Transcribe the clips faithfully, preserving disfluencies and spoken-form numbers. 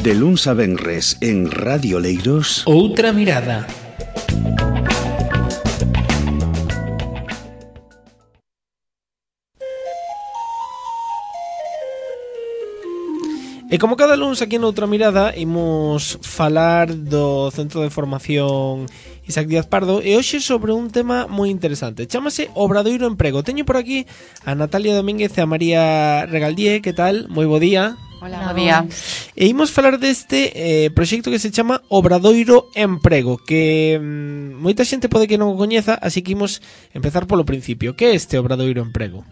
De luns a venres en Radio Leiros, Outra mirada. E como cada luns aquí noutra mirada imos falar do Centro de Formación Isaac Díaz Pardo e hoxe sobre un tema moi interesante. Chámase Obradoiro Emprego. Teño por aquí a Natalia Domínguez e a María Regaldie. Que tal? Moi bo día. Hola, bo día. E imos falar deste eh, proxecto que se chama Obradoiro Emprego, que mm, moita xente pode que non o coñeza, así que imos empezar polo principio. Que é este Obradoiro Emprego?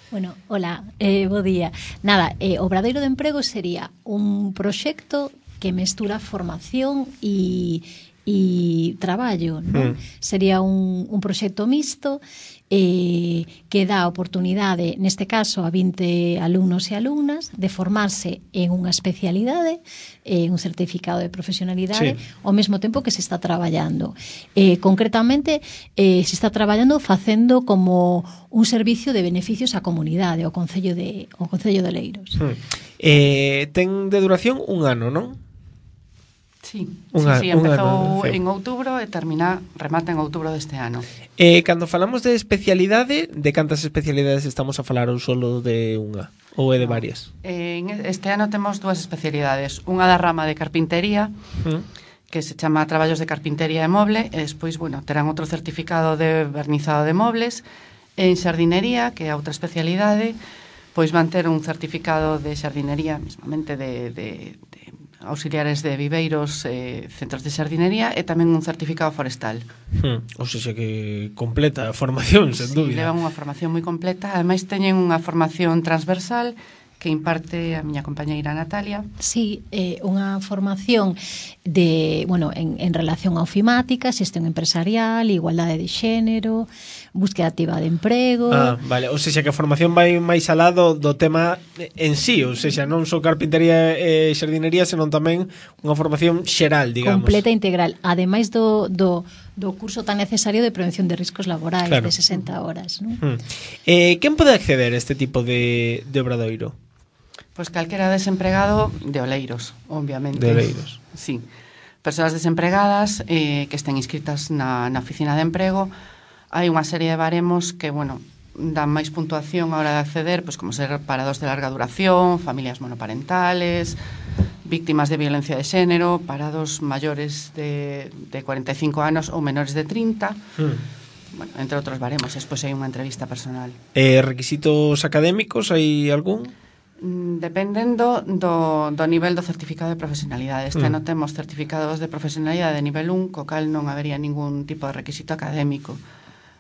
Bueno, hola, eh, bo día. Nada, eh, Obradoiro de Emprego sería un proxecto que mestura formación e, e traballo, non? Mm. Sería un, un proxecto mixto eh, que dá oportunidade, neste caso, a vinte alumnos e alumnas de formarse en unha especialidade, eh, un certificado de profesionalidade, sí, ao mesmo tempo que se está traballando. Eh, concretamente, eh, se está traballando facendo como un servicio de beneficios á comunidade, ao Concello de, ao Concello de Leiros. Mm. Eh, ten de duración un ano, non? Sí, Unha, sí, sí, empezou en outubro e termina, remata en outubro deste ano. Eh, cando falamos de especialidade, de cantas especialidades estamos a falar, ou solo de unha? Ou é de no, varias? Eh, este ano temos dúas especialidades. Unha da rama de carpintería, mm. que se chama Traballos de Carpintería e Moble, e despois, bueno, terán outro certificado de vernizado de mobles. En xardinería, que é outra especialidade, pois van ter un certificado de xardinería, mesmamente de... de, de auxiliares de viveiros, eh, centros de xardinería e tamén un certificado forestal. Hmm. Ou seja que completa a formación, sen sí, dúbida. Levan unha formación moi completa, ademais teñen unha formación transversal que imparte a miña compañeira Natalia. Sí, eh, unha formación de, bueno, en, en relación a ofimática, xestión empresarial, igualdade de xénero, búsqueda activa de emprego. Ah, vale, ou seja que a formación vai máis alá do, do tema en sí, ou seja, non só carpintería e xardinería, senón tamén unha formación xeral, digamos. Completa e integral, ademais do, do, do curso tan necesario de prevención de riscos laborais, claro, de sesenta horas, non? Hmm. Eh, quen pode acceder a este tipo de, de obradoiro? Pois calquera desempregado de Oleiros, obviamente. De Oleiros. Sí. Persoas desempregadas eh, que estén inscritas na, na oficina de emprego. Hai unha serie de baremos que, bueno, dan máis puntuación a hora de acceder, pois como ser parados de larga duración, familias monoparentales, víctimas de violencia de xénero, parados maiores de, de cuarenta e cinco anos ou menores de trinta. Hmm. Bueno, entre outros baremos. Despois hai unha entrevista personal. Eh, requisitos académicos, hai algún? Dependendo do, do nivel do certificado de profesionalidade. Este ano mm. temos certificados de profesionalidade de nivel un, co cal non habería ningún tipo de requisito académico.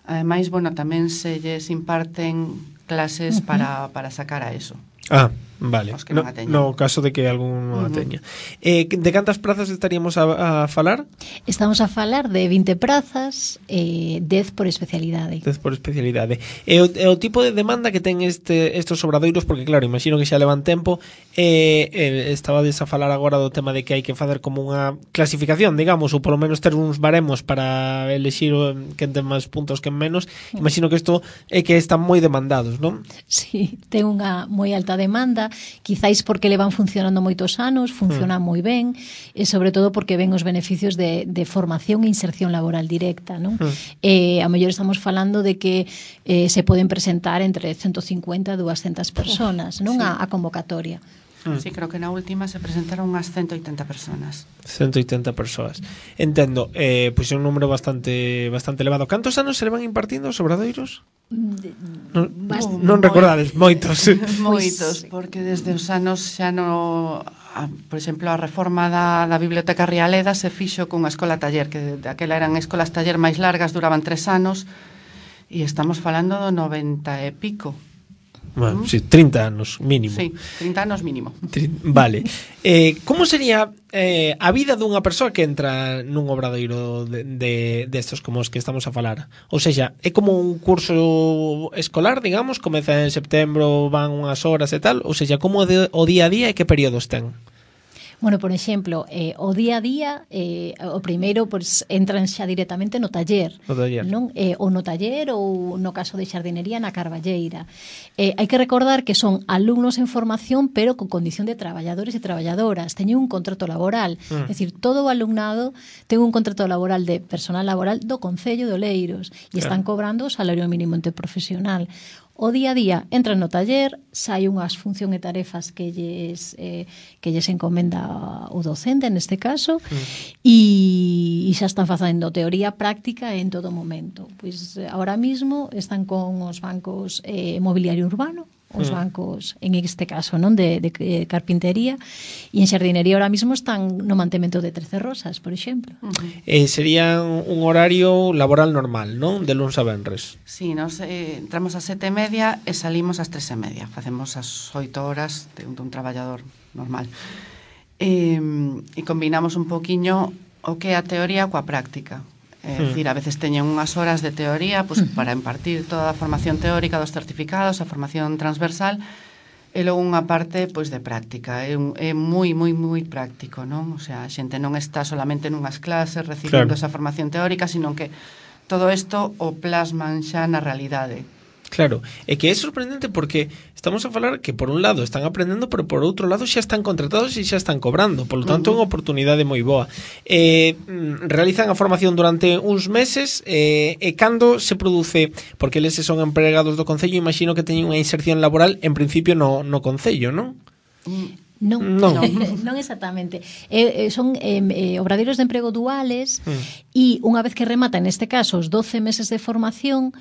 Ademais, bueno, tamén se lles imparten clases uh-huh. para, para sacar a eso. Ah, vale. No, no caso de que algún non uh-huh. a teña. Eh, de cantas prazas estaríamos a, a falar? Estamos a falar de vinte prazas, eh, dez por especialidade. dez por especialidade. E o, e o tipo de demanda que ten este estos obradoiros, porque claro, imagino que xa levan tempo, eh, eh, estabades a falar agora do tema de que hai que facer como unha clasificación, digamos, ou polo menos ter uns baremos para elexir quen ten máis puntos que menos. Imagino que isto é que están moi demandados, non? Sí, ten unha moi alta demanda, quizáis porque levan funcionando moitos anos, funciona mm. moi ben, e sobre todo porque ven os beneficios de, de formación e inserción laboral directa, non? Mm. Eh, a mellor estamos falando de que eh, se poden presentar entre ciento cincuenta e doscientas personas, non? Sí. A, a convocatoria. Mm. Sí, creo que na última se presentaron unhas ciento oitenta personas. ciento oitenta persoas. Entendo, eh, pois é un número bastante bastante elevado. Cantos anos se le van impartindo os obradoiros? Non, Bast- non recordades, moitos. Moitos, porque desde os anos xa no... A, por exemplo, a reforma da, da Biblioteca Rialeda se fixo cunha escola taller, que daquela eran escolas taller máis largas, duraban tres anos, e estamos falando do noventa e pico. Bueno, sí, trinta anos mínimo. Sí, trinta anos mínimo. Vale. Eh, como sería eh, a vida dunha persoa que entra nun obradoiro de, de, de estos como os que estamos a falar? Ou seja, é como un curso escolar, digamos, comeza en setembro, van unhas horas e tal? Ou seja, como de, o día a día e que períodos ten? Bueno, por exemplo, eh, o día a día, eh, o primeiro, pues, entran xa directamente no taller. No taller. Non? Eh, ou no taller, ou no caso de xardinería, na Carballeira. Eh, hai que recordar que son alumnos en formación, pero con condición de traballadores e traballadoras. Teñen un contrato laboral. Mm. É dicir, todo o alumnado ten un contrato laboral de personal laboral do Concello de Oleiros e están cobrando o salario mínimo interprofesional. O día a día entran no taller, sai unhas función e tarefas que lles, eh, que lles encomenda o docente neste caso, mm. e, e xa están facendo teoría práctica en todo momento. Pois ahora mismo están con os bancos eh, mobiliario urbano, os bancos, en este caso, non de, de, de carpintería, e en xardinería ahora mismo están no mantemento de trece rosas, por exemplo. Uh-huh. Eh, sería un horario laboral normal, non? De luns a venres. Sí, nos eh, entramos a sete e media e salimos ás tres e media. Facemos as oito horas de un, de un traballador normal. E, e combinamos un poquiño o que é a teoría coa práctica. É dicir, a veces teñen unhas horas de teoría pues, para impartir toda a formación teórica dos certificados, a formación transversal, e logo unha parte pois, de práctica. É, un, é moi, moi, moi práctico, non? O sea, a xente non está solamente nunhas clases recibindo claro. esa formación teórica, sino que todo isto o plasman xa na realidade. Claro, é que é sorprendente porque estamos a falar que por un lado están aprendendo, pero por outro lado xa están contratados e xa están cobrando, por lo tanto é unha oportunidade moi boa. Eh, realizan a formación durante uns meses eh, e cando se produce, porque eles son empregados do Concello, imagino que teñen unha inserción laboral en principio no, no Concello, non? Non, non, non exactamente. Eh, son eh, eh, obradeiros de emprego duales e mm. unha vez que rematan, neste caso, os doce meses de formación,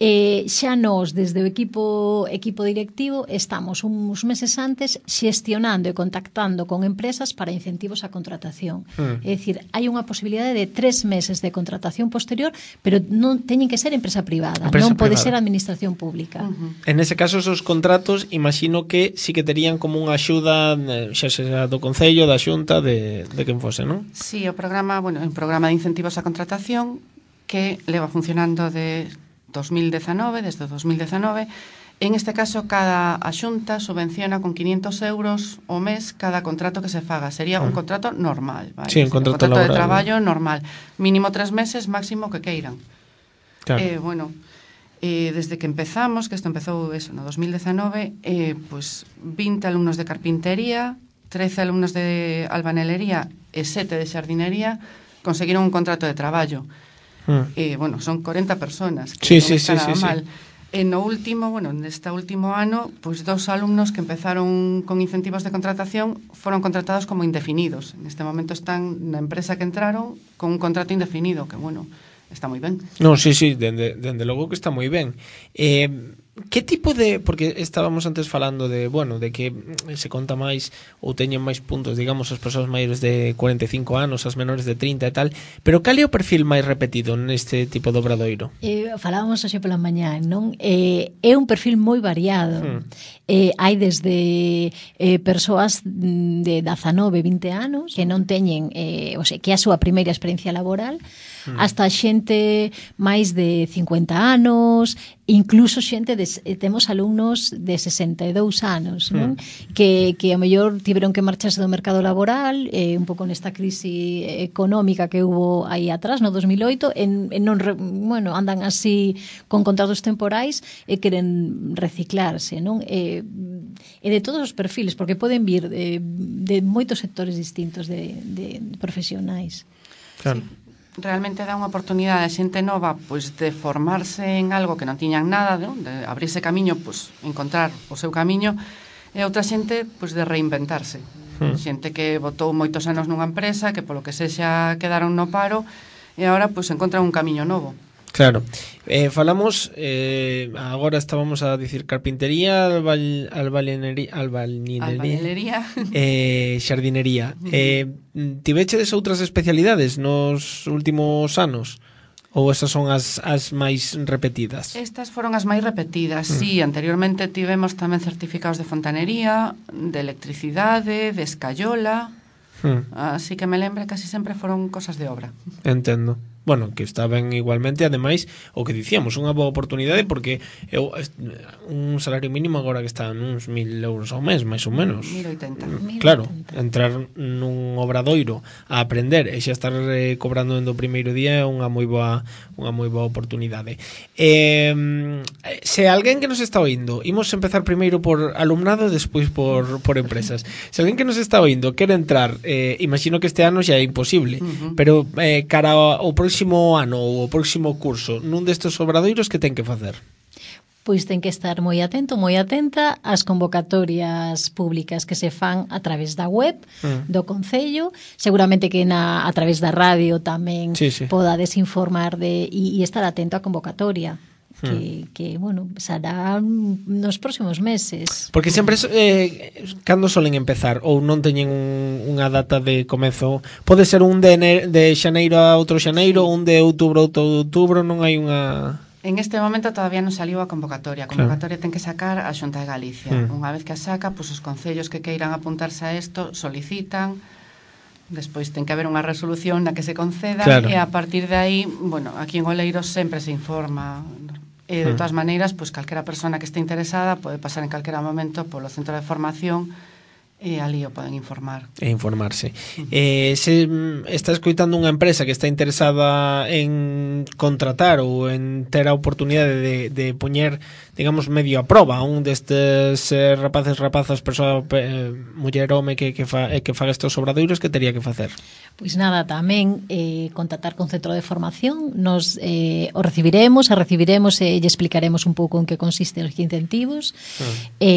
Eh, xa nos, desde o equipo equipo directivo, estamos uns meses antes xestionando e contactando con empresas para incentivos á contratación. Mm. É dicir, hai unha posibilidade de tres meses de contratación posterior, pero non teñen que ser empresa privada, empresa non pode privada. Ser administración pública. Uh-huh. En ese caso, esos contratos, imagino que sí que terían como unha axuda, xa sea do Concello, da Xunta, de, de quen fose, non? Sí, o programa, bueno, un programa de incentivos á contratación que leva funcionando de dos mil dezenove, desde o dos mil dezenove. En este caso, cada a Xunta subvenciona con quinientos euros ao mes cada contrato que se faga. Sería un contrato normal, vale? Sí, un contrato, un contrato laboral, de traballo ¿no? normal. Mínimo tres meses, máximo que queiran. Claro. Eh, bueno, eh, desde que empezamos, que isto empezou eso, no dos mil dezenove, eh, pues vinte alumnos de carpintería, trece alumnos de albanelería e sete de xardinería conseguiron un contrato de traballo. Mm. Eh, bueno, son corenta personas que sí, non sí, está sí, nada sí, mal. Sí. En no último, bueno, neste último ano, pois pues, dos alumnos que empezaron con incentivos de contratación foron contratados como indefinidos. En este momento están na empresa que entraron con un contrato indefinido, que bueno, está moi ben. No, sí, sí, dende, dende logo que está moi ben. Eh, que tipo de, porque estábamos antes falando de, bueno, de que se conta máis ou teñen máis puntos, digamos, as persoas maiores de cuarenta e cinco anos, as menores de trinta e tal, pero cal é o perfil máis repetido neste tipo de obradoiro? Eh, falábamos hoxe pola mañá, non? Eh, é un perfil moi variado. Hmm. Eh, hai desde eh, persoas de dezanove, vinte anos que non teñen, eh, o sea, que é a súa primeira experiencia laboral, hmm. hasta xente máis de cincuenta anos, incluso xente de, temos alumnos de sesenta e dous anos, non? Mm. Que, que a mellor tiveron que marcharse do mercado laboral, eh, un pouco nesta crise económica que hubo aí atrás, no dos mil oito, en, en non, bueno, andan así con contratos temporais e queren reciclarse, non? E, e de todos os perfiles, porque poden vir de, de moitos sectores distintos de, de, de profesionais. Claro. Sí. Realmente dá unha oportunidade a xente nova pois de formarse en algo que non tiñan nada, de, de abrirse camiño, pois encontrar o seu camiño, e outra xente pois de reinventarse. Hmm. Xente que botou moitos anos nunha empresa, que polo que sexa quedaron no paro e agora pois encontran un camiño novo. Claro. Eh, falamos, eh, agora estábamos a dicir carpintería, albal, albalinería, albalinería, eh, xardinería. Eh, tivechedes outras especialidades nos últimos anos? Ou esas son as, as máis repetidas? Estas foron as máis repetidas, mm. sí. Anteriormente tivemos tamén certificados de fontanería, de electricidade, de escayola, mm. así que me lembre casi sempre foron cosas de obra. Entendo. bueno, que está ben igualmente, ademais, o que dicíamos, unha boa oportunidade porque eu, un salario mínimo agora que está nuns mil euros ao mes, máis ou menos. mil oitenta. Claro, entrar nun obradoiro a aprender e xa estar eh, cobrando no primeiro día é unha moi boa unha moi boa oportunidade. Eh, se alguén que nos está oindo, imos empezar primeiro por alumnado e despois por, por empresas. Se alguén que nos está oindo quere entrar, eh, imagino que este ano xa é imposible, uh-huh. pero eh, cara ao próximo ano ou o próximo curso, nun destes obradoiros, que ten que facer? Pois ten que estar moi atento, moi atenta ás convocatorias públicas que se fan a través da web mm. do Concello, seguramente que na, a través da radio tamén sí, sí. podades informar de, e, e estar atento á convocatoria. Que, que, bueno, será nos próximos meses. Porque sempre, eh, cando solen empezar? Ou non teñen un, unha data de comezo? Pode ser un de, ene, de xaneiro a outro xaneiro, sí. un de outubro a outro outubro, non hai unha... En este momento todavía non saliu a convocatoria. A convocatoria claro. ten que sacar a Xunta de Galicia. Mm. Unha vez que a saca, pues, os concellos que queiran apuntarse a isto solicitan, despois ten que haber unha resolución na que se conceda claro. e a partir de aí, bueno, aquí en Oleiros sempre se informa. E de todas maneiras, pues, calquera persona que este interesada pode pasar en calquera momento polo centro de formación e ali o poden informar. E informarse. Uh-huh. Eh, se está escoitando unha empresa que está interesada en contratar ou en ter a oportunidade de, de poñer, digamos, medio a proba un destes eh, rapaces, rapazas, persoa, eh, muller, home que, que, fa, eh, que faga estes obradoiros, que tería que facer? Pois nada, tamén eh, contactar con centro de formación, nos eh, o recibiremos, a recibiremos e lle explicaremos un pouco en que consisten os incentivos uh-huh. e,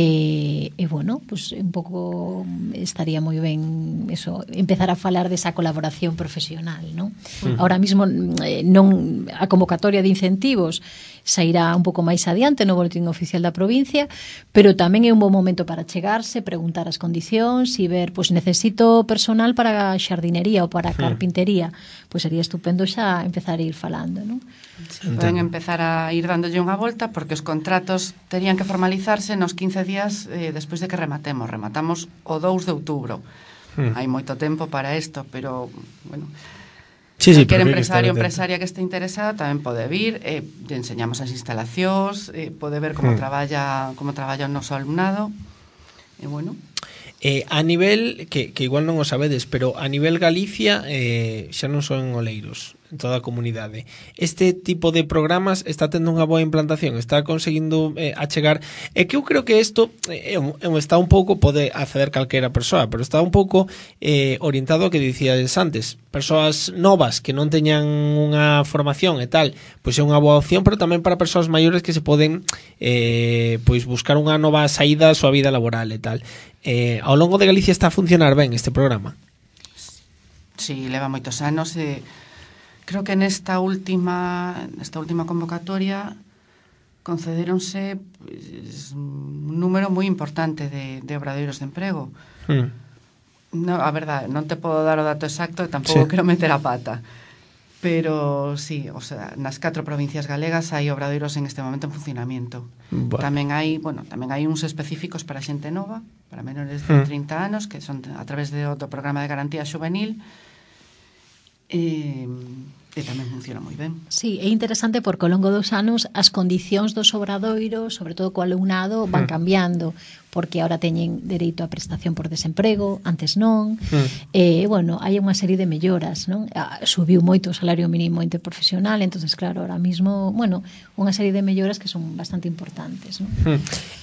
e bueno, pues un pouco estaría moi ben eso, empezar a falar desa colaboración profesional, non? Uh-huh. Ahora mismo eh, non a convocatoria de incentivos sairá un pouco máis adiante no boletín oficial da provincia, pero tamén é un bom momento para chegarse, preguntar as condicións e ver, pois necesito personal para a xardinería ou para a carpintería, pois sería estupendo xa empezar a ir falando, non? Sí, poden empezar a ir dándolle unha volta porque os contratos terían que formalizarse nos quince días eh, despois de que rematemos. Rematamos o dous de outubro. Hmm. Hai moito tempo para isto, pero, bueno... Sí, sí, qualquer empresario ou empresaria que este interesado tamén pode vir, eh, lle enseñamos as instalacións, eh, pode ver como hmm. traballa como traballa o noso alumnado. E bueno, eh, a nivel que, que igual non o sabedes, pero a nivel Galicia eh, xa non son oleiros, en toda a comunidade. Este tipo de programas está tendo unha boa implantación, está conseguindo eh, achegar, e que eu creo que isto eh, está un pouco, pode acceder calquera persoa, pero está un pouco eh, orientado ao que dicíades antes, persoas novas que non teñan unha formación e tal, pois é unha boa opción, pero tamén para persoas maiores que se poden eh, pois buscar unha nova saída á súa vida laboral e tal. Eh, ao longo de Galicia está a funcionar ben este programa? Sí, leva moitos anos e eh... Creo que nesta última nesta última convocatoria concedéronse pues, un número moi importante de, de obradoiros de emprego. Hmm. No, a verdade, non te podo dar o dato exacto e tampouco sí. quero meter a pata. Pero sí, o sea, nas catro provincias galegas hai obradoiros en este momento en funcionamento. Bueno. Tamén hai, bueno, tamén hai uns específicos para xente nova, para menores de hmm. trinta anos, que son a través de outro programa de garantía juvenil. E, e tamén funciona moi ben. Sí, é interesante porque ao longo dos anos as condicións dos obradoiros, sobre todo co alumnado, van mm. cambiando, porque ahora teñen dereito a prestación por desemprego, antes non. Mm. E, bueno, hai unha serie de melloras, non? Subiu moito o salario mínimo interprofesional, entonces claro, ahora mismo, bueno, unha serie de melloras que son bastante importantes, non? Mm.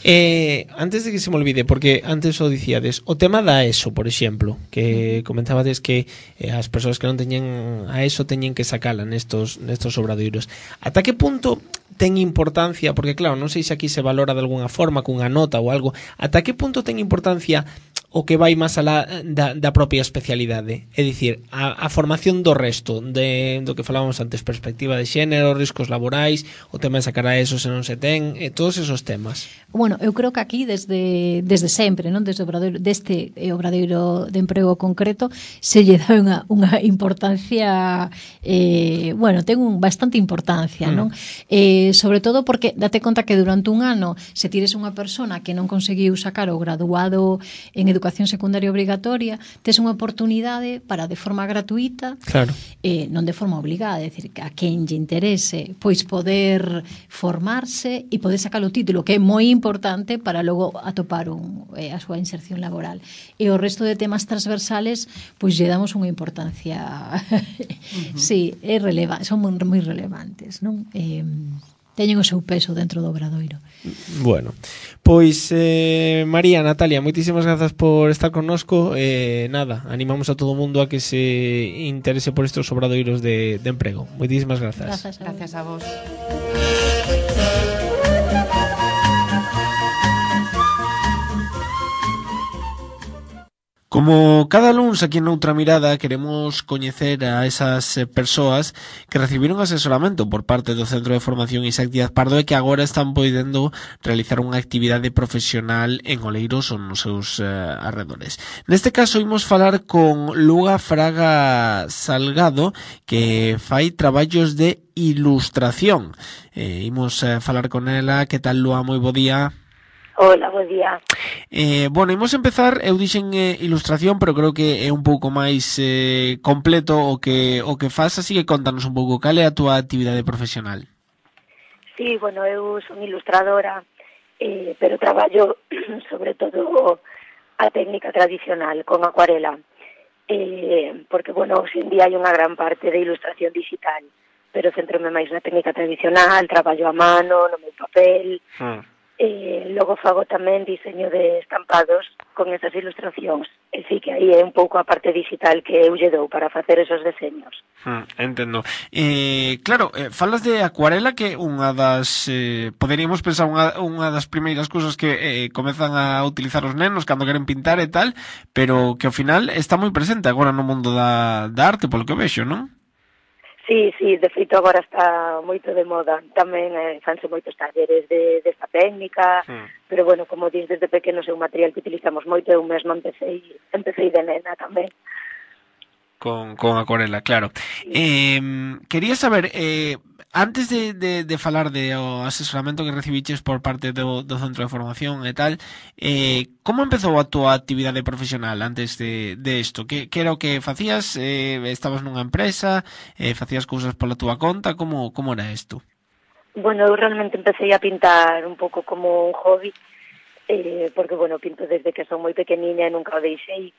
Eh, antes de que se me olvide, porque antes o dicíades, o tema da ESO, por exemplo, que mm. comentabades que eh, as persoas que non teñen a ESO teñen que sacala nestos, nestos obradoiros. Ata que punto ten importancia, porque claro, non sei se aquí se valora de alguna forma cunha nota ou algo, ata que punto ten importancia o que vai máis alá da, da propia especialidade, é dicir, a, a formación do resto de, do que falábamos antes, perspectiva de xénero, riscos laborais, o tema de sacar a eso se non se ten, e todos esos temas. Bueno, eu creo que aquí desde desde sempre, non, desde o obradoiro, deste obradoiro de emprego concreto, se lle dá unha, unha importancia eh, bueno, ten un bastante importancia, mm. non? Eh, sobre todo porque date conta que durante un ano se tires unha persona que non conseguiu sacar o graduado en educación educación secundaria obrigatoria, tes unha oportunidade para de forma gratuita, claro. eh, non de forma obligada, é dicir, a quen lle interese, pois poder formarse e poder sacar o título, que é moi importante para logo atopar un, eh, a súa inserción laboral. E o resto de temas transversales, pois lle damos unha importancia, uh-huh. sí, é releva, son moi, moi relevantes, non? Eh, teñen o seu peso dentro do Obradoiro. Bueno, pois eh, María, Natalia, moitísimas grazas por estar connosco. Eh, nada, animamos a todo o mundo a que se interese por estes obradoiros de, de emprego. Moitísimas grazas. Gracias a, gracias a vos. Como cada luns aquí en Noutra Mirada queremos coñecer a esas persoas que recibiron asesoramento por parte do Centro de Formación Isaac Díaz Pardo e que agora están podendo realizar unha actividade profesional en Oleiros ou nos seus eh, arredores. Neste caso imos falar con Luga Fraga Salgado, que fai traballos de ilustración. Eh, imos eh, falar con ela. Que tal, Lua? Moi bo día. Hola, bo día. Eh, bueno, imos empezar, eu dixen eh, ilustración, pero creo que é un pouco máis eh, completo o que o que faz, así que contanos un pouco cal é a túa actividade profesional. Sí, bueno, eu son ilustradora, eh, pero traballo sobre todo a técnica tradicional, con acuarela, eh, porque, bueno, hoxe en día hai unha gran parte de ilustración digital, pero centrome máis na técnica tradicional, traballo a mano, no meu papel... Hmm. Eh, logo fago tamén diseño de estampados con esas ilustracións, e sí que aí é un pouco a parte digital que eu lle dou para facer esos deseños. Hmm, entendo. Eh, claro, eh, falas de acuarela, que unha das eh, poderíamos pensar unha, unha das primeiras cousas que eh, comezan a utilizar os nenos cando queren pintar e tal, pero que ao final está moi presente agora no mundo da, da arte, polo que vexo, non? Sí, sí, de feito agora está moito de moda. Tamén eh, fanse moitos talleres de, desta técnica, mm. pero bueno, como dis, desde pequenos é un material que utilizamos moito, eu mesmo empecé, empecé de nena tamén. Con, con acuarela, claro. Sí. Eh, quería saber, eh, antes de, de, de falar de o asesoramento que recibiches por parte do, do Centro de Formación e tal, eh, como empezou a túa actividade profesional antes de, de isto? Que, que era o que facías? Eh, estabas nunha empresa? Eh, facías cousas pola túa conta? Como, como era isto? Bueno, eu realmente empecé a pintar un pouco como un hobby, eh, porque, bueno, pinto desde que son moi pequeniña e nunca o deixei.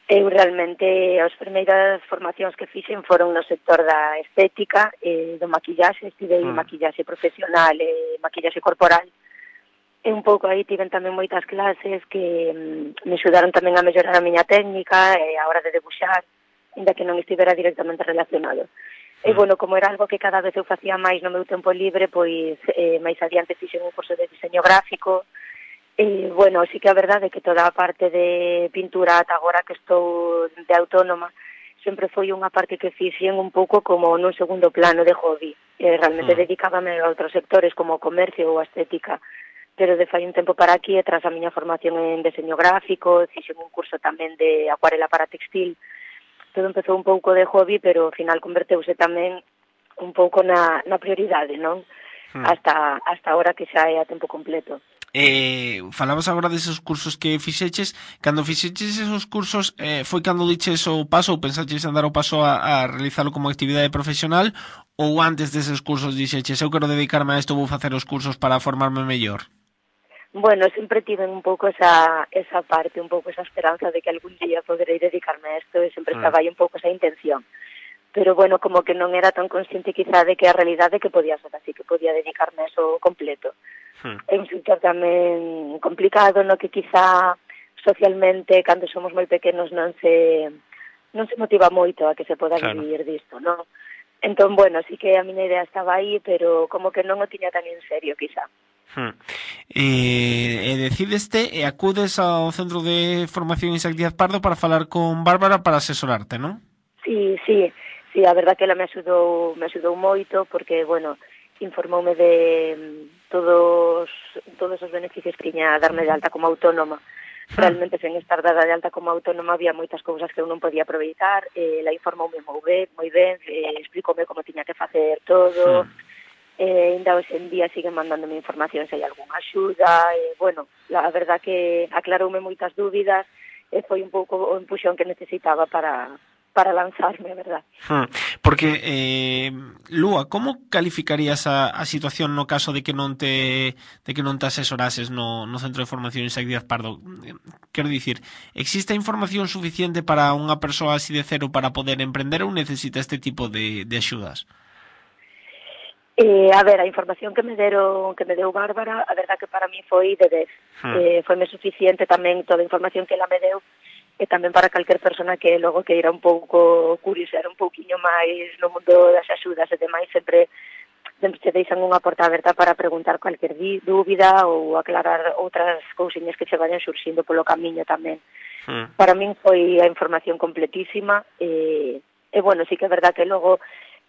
Eu realmente, as primeiras formacións que fixen foron no sector da estética, eh, do maquillaxe, estivei mm. maquillaxe profesional e maquillaxe corporal. E un pouco aí tiven tamén moitas clases que mm, me axudaron tamén a mellorar a miña técnica e a hora de debuxar, ainda que non estivera directamente relacionado. Mm. E, bueno, como era algo que cada vez eu facía máis no meu tempo libre, pois eh, máis adiante fixen un curso de diseño gráfico. E, bueno, sí que a verdade é que toda a parte de pintura ata agora que estou de autónoma sempre foi unha parte que fixen un pouco como nun segundo plano de hobby. E realmente mm. dedicábame a outros sectores como o comercio ou a estética, pero de fai un tempo para aquí, e tras a miña formación en diseño gráfico, fixen un curso tamén de acuarela para textil. Todo empezou un pouco de hobby, pero ao final converteuse tamén un pouco na, na prioridade, non? Mm. Hasta, hasta ahora que xa é a tempo completo. Eh, falabas agora deses cursos que fixeches. Cando fixeches esos cursos, eh, foi cando diches o paso ou pensaches en dar o paso a, a realizalo como actividade profesional, ou antes deses cursos dixeches eu quero dedicarme a isto, vou facer os cursos para formarme mellor? Bueno, sempre tiven un pouco esa, esa parte, un pouco esa esperanza de que algún día poderei dedicarme a isto, e sempre mm. estaba aí un pouco esa intención. Pero, bueno, como que non era tan consciente quizá de que a realidade que podía ser así, que podía dedicarme a eso completo. Hmm. É un sector tamén complicado, no que quizá socialmente, cando somos moi pequenos, non se non se motiva moito a que se poda claro. vivir disto, non? Entón, bueno, sí que a miña idea estaba aí, pero como que non o tiña tan en serio, quizá. Hmm. E, e decideste e acudes ao Centro de Formación Isaac Díaz Pardo para falar con Bárbara para asesorarte, non? Sí, sí. Sí, a verdad que ela me axudou, me axudou moito, porque, bueno, informoume de todos todos os beneficios que tiña a darme de alta como autónoma. Realmente, sen estar dada de alta como autónoma, había moitas cousas que eu non podía aproveitar. Eh, ela informoume moi ben, moi ben, eh, explicoume como tiña que facer todo. Eh, ainda hoxe en día siguen mandándome información se hai algunha axuda. Eh, bueno, a verdad que aclaroume moitas dúbidas, e foi un pouco o empuxón que necesitaba para para lanzarme, verdad. Hmm. Porque, eh, Lúa, como calificarías a, a situación no caso de que non te de que non te asesorases no, no Centro de Formación Isaac Díaz Pardo? Quero dicir, existe información suficiente para unha persoa así de cero para poder emprender ou necesita este tipo de, de axudas? Eh, a ver, a información que me deron, que me deu Bárbara, a verdad que para mí foi de dez. Hmm. Eh, foi me suficiente tamén toda a información que ela me deu, e tamén para calquer persona que logo queira un pouco curiosear un pouquiño máis no mundo das axudas e demais, sempre sempre te deixan unha porta aberta para preguntar cualquier dúbida ou aclarar outras cousiñas que se vayan surxindo polo camiño tamén. Hmm. Para min foi a información completísima e, e bueno, sí que é verdad que logo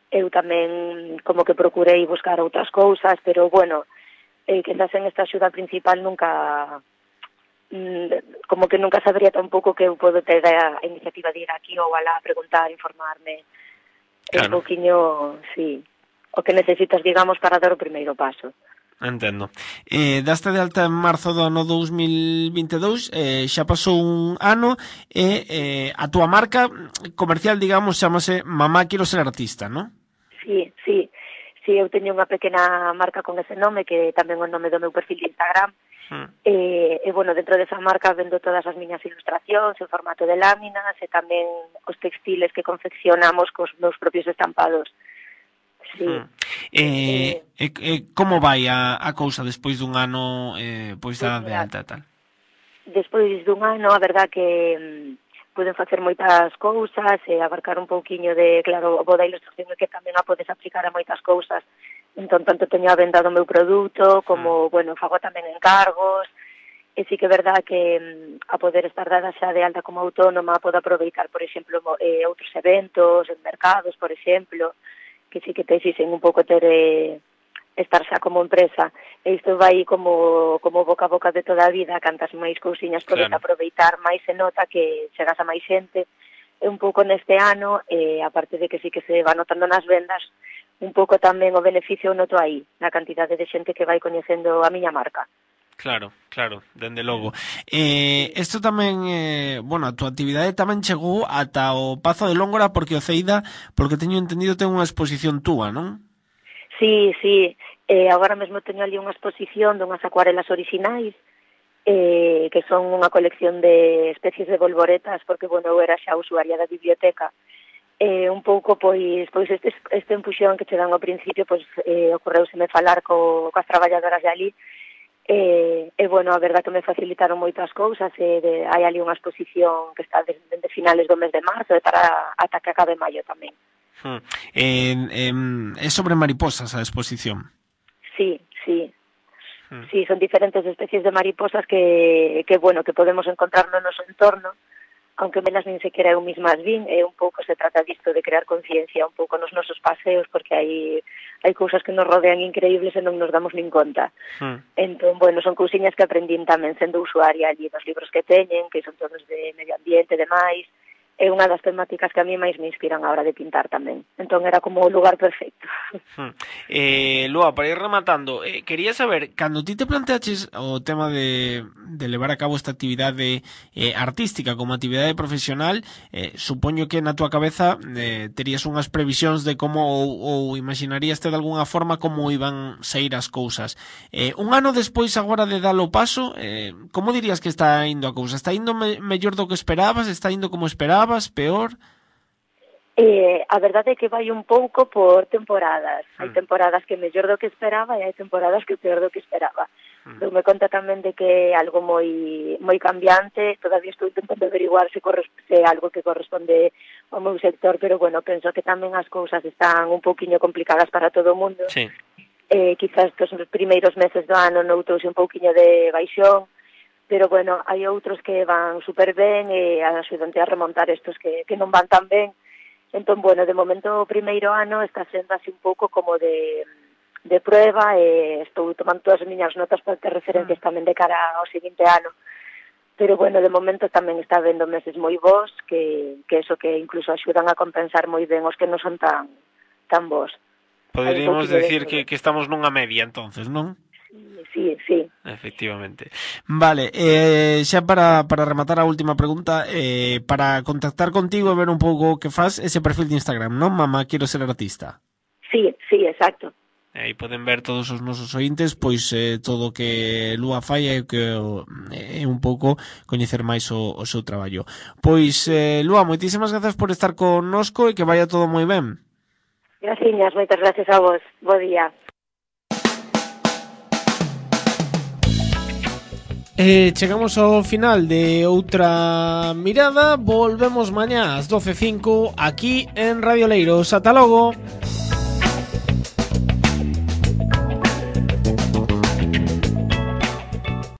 eu tamén como que procurei buscar outras cousas, pero bueno, eh, quizás en esta axuda principal nunca, mm, como que nunca sabría tampouco que eu podo ter a, a iniciativa de ir aquí ou alá a preguntar, informarme, claro. Un pouquiño, sí, o que necesitas, digamos, para dar o primeiro paso. Entendo. Eh, daste de alta en marzo do ano dous mil vinte e dous, eh, xa pasou un ano e eh, a túa marca comercial, digamos, chamase Mamá Quero Ser Artista, non? Sí, sí, sí, eu teño unha pequena marca con ese nome, que tamén é o nome do meu perfil de Instagram, hmm. e, e, bueno, dentro desa marca vendo todas as miñas ilustracións en formato de láminas e tamén os textiles que confeccionamos cos meus propios estampados. Sí. Hmm. Eh, eh, eh, como vai a, a cousa despois dun ano eh, pois da de alta e tal? Despois dun ano, a verdad que poden facer moitas cousas e abarcar un pouquiño de, claro, o bo da ilustración é que tamén a podes aplicar a moitas cousas. Entón, tanto teño a venda do meu produto, como, mm. bueno, fago tamén encargos, e sí que é verdad que a poder estar dada xa de alta como autónoma, podo aproveitar, por exemplo, eh, outros eventos, en mercados, por exemplo, que sí que te exixen un pouco ter eh, estar xa como empresa, e isto vai como, como boca a boca de toda a vida, cantas máis cousiñas podes claro. Aproveitar, máis se nota que chegas a máis xente, e un pouco neste ano, e aparte de que sí que se va notando nas vendas, un pouco tamén o beneficio noto aí, na cantidade de xente que vai coñecendo a miña marca. Claro, claro, dende logo. Eh, isto tamén, eh, bueno, a túa actividade tamén chegou ata o Pazo de Lóngora, porque o Ceida, porque teño entendido, ten unha exposición túa, non? Sí, sí, eh, agora mesmo teño ali unha exposición dunhas acuarelas orixinais, eh, que son unha colección de especies de volvoretas, porque, bueno, eu era xa usuaria da biblioteca, eh, un pouco, pois, pois este, este empuxón que che dan ao principio, pois, eh, ocorreuseme falar co, coas traballadoras de ali, e, eh, eh, bueno, a verdad que me facilitaron moitas cousas, e de, hai ali unha exposición que está desde, desde finales do mes de marzo, e para ata que acabe maio tamén. Hmm. Eh, eh, é sobre mariposas a exposición. Sí, sí. Hmm. Sí, son diferentes especies de mariposas que, que, bueno, que podemos encontrar no noso entorno, aunque melas nin sequera eu mismas vin, e un pouco se trata disto de crear conciencia un pouco nos nosos paseos, porque hai hai cousas que nos rodean increíbles e non nos damos nin conta. Hmm. Entón, bueno, son cousiñas que aprendín tamén sendo usuaria allí dos libros que teñen, que son todos de medio ambiente e demais, é unha das temáticas que a mí máis me inspiran a hora de pintar tamén. Entón era como o lugar perfecto. Hmm. Eh, Lúa, para ir rematando, eh, quería saber, cando ti te planteaches o tema de, de levar a cabo esta actividade eh, artística como actividade profesional, eh, supoño que na túa cabeza eh, terías unhas previsións de como ou, ou imaginaríaste de algunha forma como iban sair as cousas. Eh, un ano despois agora de dar o paso, eh, como dirías que está indo a cousa? Está indo me, mellor do que esperabas? Está indo como esperabas? Peor? Eh, a verdade é que vai un pouco por temporadas. Mm. Hai temporadas que mellor do que esperaba e hai temporadas que peor do que esperaba. Mm. Dou-me conta tamén de que é algo moi moi cambiante. Todavía estou intentando averiguar se, se algo que corresponde ao meu sector, pero bueno, penso que tamén as cousas están un pouquiño complicadas para todo o mundo. Sí. Eh, quizás que os primeiros meses do ano noutouse un pouquiño de baixón, pero bueno, hai outros que van super ben e axudante a remontar estos que, que non van tan ben. Entón, bueno, de momento o primeiro ano está sendo así un pouco como de, de prueba, e estou tomando todas as miñas notas para ter referencias tamén de cara ao seguinte ano. Pero bueno, de momento tamén está vendo meses moi bons, que, que eso que incluso axudan a compensar moi ben os que non son tan, tan bons. Poderíamos decir que, que estamos nunha media, entonces, non? Sí, sí. Efectivamente. Vale, eh, xa para, para rematar a última pregunta, eh, para contactar contigo e ver un pouco que faz ese perfil de Instagram, non? Mamá, quero ser artista. Sí, sí, exacto. Aí poden ver todos os nosos ointes, pois eh, todo o que Lúa fai é que é un pouco coñecer máis o, o seu traballo. Pois, eh, Lúa, moitísimas grazas por estar connosco e que vaya todo moi ben. Graciñas, moitas gracias a vos. Bo día. Eh, chegamos ao final de outra mirada. Volvemos mañá ás doce e cinco aquí en Radio Leiros. Ata logo.